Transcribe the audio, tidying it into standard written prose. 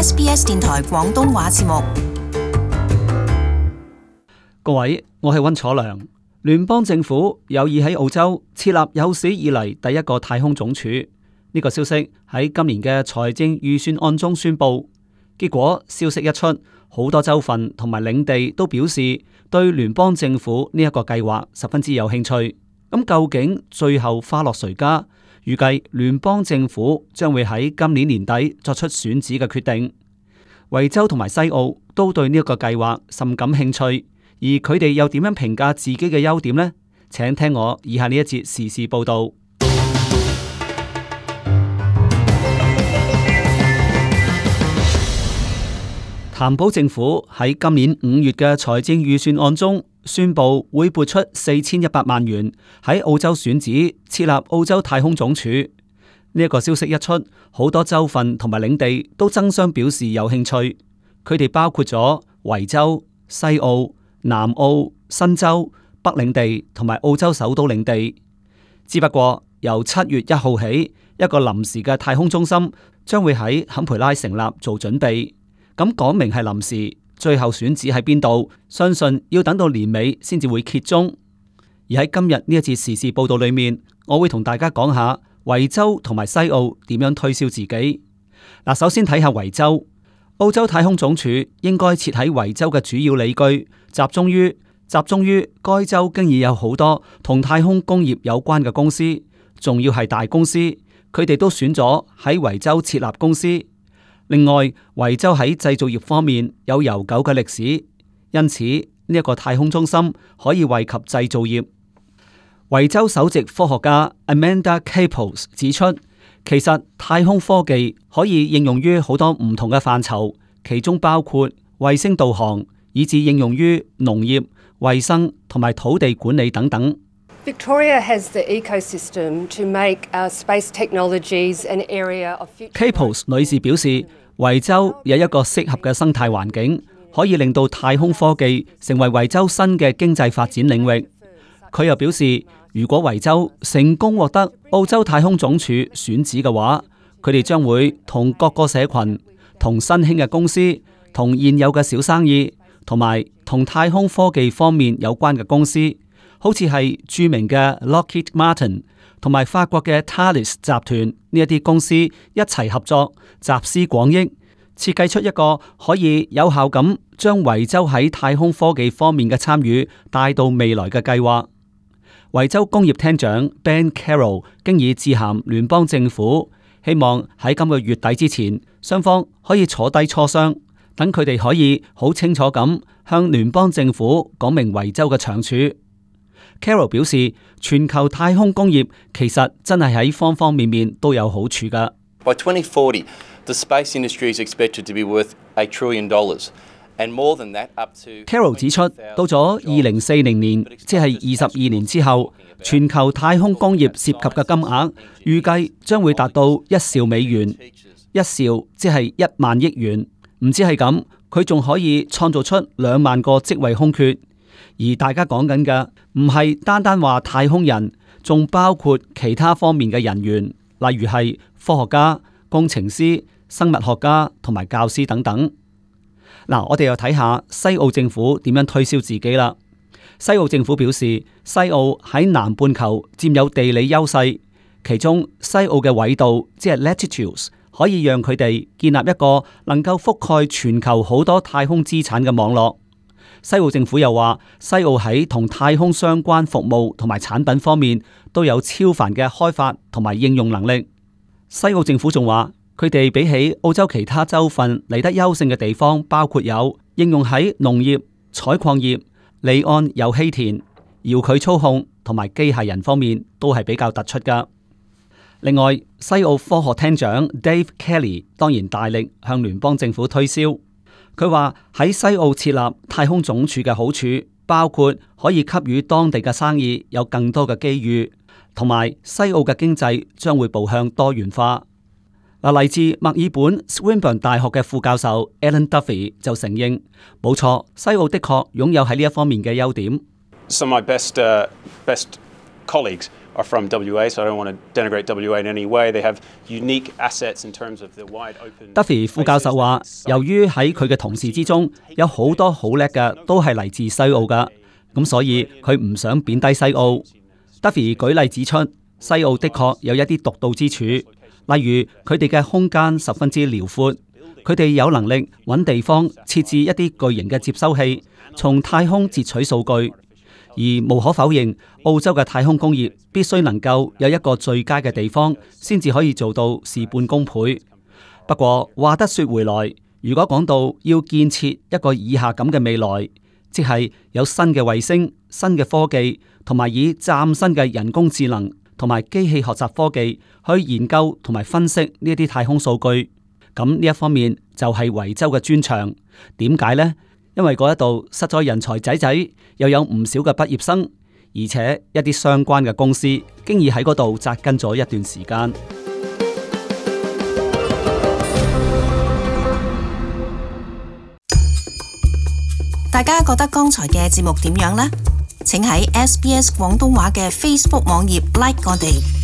SBS 電台廣東話節目。各位，我係溫楚良。聯邦政府有意喺澳洲設立有史以嚟第一個太空總署，呢個消息喺今年嘅財政預算案中宣布。結果消息一出，好多州份同埋領地都表示對聯邦政府呢一個計劃十分之有興趣。咁究竟最後花落誰家？預計聯邦政府將會喺今年年底作出選址嘅決定。維州同埋西澳都對呢一個計劃甚感興趣，而佢哋又點樣評價自己嘅優點呢？請聽我以下呢一節時事報道。譚普政府喺今年5月嘅財政預算案中宣布會撥出4100萬元喺澳洲選址設立澳洲太空總署。呢一個消息一出，好多州份同埋領地都爭相表示有興趣。佢哋包括咗維州、西澳、南澳、新州、北領地同埋澳洲首都領地。只不過由7月1號起，一個臨時嘅太空中心將會喺坎培拉成立做準備。咁講明係臨時，最後選址喺邊度，相信要等到年尾先至會揭盅。而喺今日呢一節時事報道裏面，我會同大家講下維州同埋西澳點樣推銷自己。嗱，首先睇下維州，澳洲太空總署應該設喺維州嘅主要理據，集中於該州經已有好多同太空工業有關嘅公司，仲要係大公司，佢哋都選咗喺維州設立公司。另外，維州喺製造業方面有悠久嘅歷史，因此呢一個太空中心可以惠及製造業。維州首席科學家 Amanda Capos 指出，其實太空科技可以應用於好多唔同嘅範疇，其中包括衛星導航，以至應用於農業、衛生同埋土地管理等等。Victoria has the ecosystem to make space technologies an area of future. Capos 女士表示，維州有一個適合嘅生態環境，可以令到太空科技成為維州新嘅經濟發展領域。佢又表示，如果維州成功獲得澳洲太空總署選址嘅話，佢哋將會同各個社群、同新興嘅公司、同現有嘅小生意，同埋同太空科技方面有關嘅公司，好似係著名嘅 Lockheed Martin 同埋法國嘅 Thales 集團呢一啲公司一齊合作，集思廣益，設計出一個可以有效咁將維州喺太空科技方面嘅參與帶到未來嘅計劃。維州工業廳長 Ben Carroll 經已致函聯邦政府，希望喺今個月底之前，雙方可以坐低磋商，等佢哋可以好清楚咁向聯邦政府講明維州嘅長處。Carroll 表示，全球太空工業其實真係喺方方面面都有好處㗎。By 2040, the space industry is expected to be worth $1 trillion, and more than that, up to. Carroll 指出，到咗2040年，即係22年之後，全球太空工業涉及嘅金額預計將會達到1兆美元，一兆即係1萬億元。唔止係咁，佢仲可以創造出2萬個職位空缺。而大家講緊嘅唔係單單話太空人，仲包括其他方面嘅人員，例如係科學家、工程師、生物學家同埋教師等等。嗱，我哋又睇下西澳政府點樣推銷自己啦。西澳政府表示，西澳喺南半球佔有地理優勢，其中西澳嘅緯度即係 latitudes 可以讓佢哋建立一個能夠覆蓋全球好多太空資產嘅網絡。西澳政府又話，西澳喺同太空相關服務同埋產品方面都有超凡嘅開發同埋應用能力。西澳政府仲話，佢哋比起澳洲其他州份嚟得優勝嘅地方，包括有應用喺農業、採礦業、離岸有稀田、遙距操控同埋機械人方面都係比較突出噶。另外，西澳科學廳長 Dave Kelly 當然大力向聯邦政府推銷。佢話喺西澳設立太空總署嘅好處，包括可以給予當地嘅生意有更多嘅機遇，同埋西澳嘅經濟將會步向多元化。嚟自墨爾本 Swinburne 大學嘅副教授 Alan Duffy 就承認，冇錯，西澳的確擁有喺呢一方面嘅優點。Some of my best colleagues are from WA, so I don't want to denigrate WA in any way. They have unique assets in terms of the wide open. Duffy 副教授話，由於喺佢嘅同事之中有好多好叻嘅都係嚟自西澳㗎，咁所以佢唔想貶低西澳。Duffy 舉例指出，西澳的確有一啲獨到之處，例如佢哋嘅空間十分之遼闊，佢哋有能力揾地方設置一啲巨型嘅接收器，從太空截取數據。而無可否認，澳洲嘅太空工業必須能夠有一個最佳嘅地方，先至可以做到事半功倍。不過話得說回來，如果講到要建設一個以下咁嘅未來，即係有新嘅衛星、新嘅科技，同埋以嶄新嘅人工智能同埋機器學習科技去研究同埋分析呢啲太空數據，咁呢一方面就係維州嘅專長。點解呢？因為嗰一度實在人才濟濟，又有唔少嘅畢業生，而且一啲相關嘅公司經已喺嗰度紮根咗一段時間。大家覺得剛才嘅節目點樣呢？請喺SBS 廣東話嘅 Facebook 網頁 like 我哋。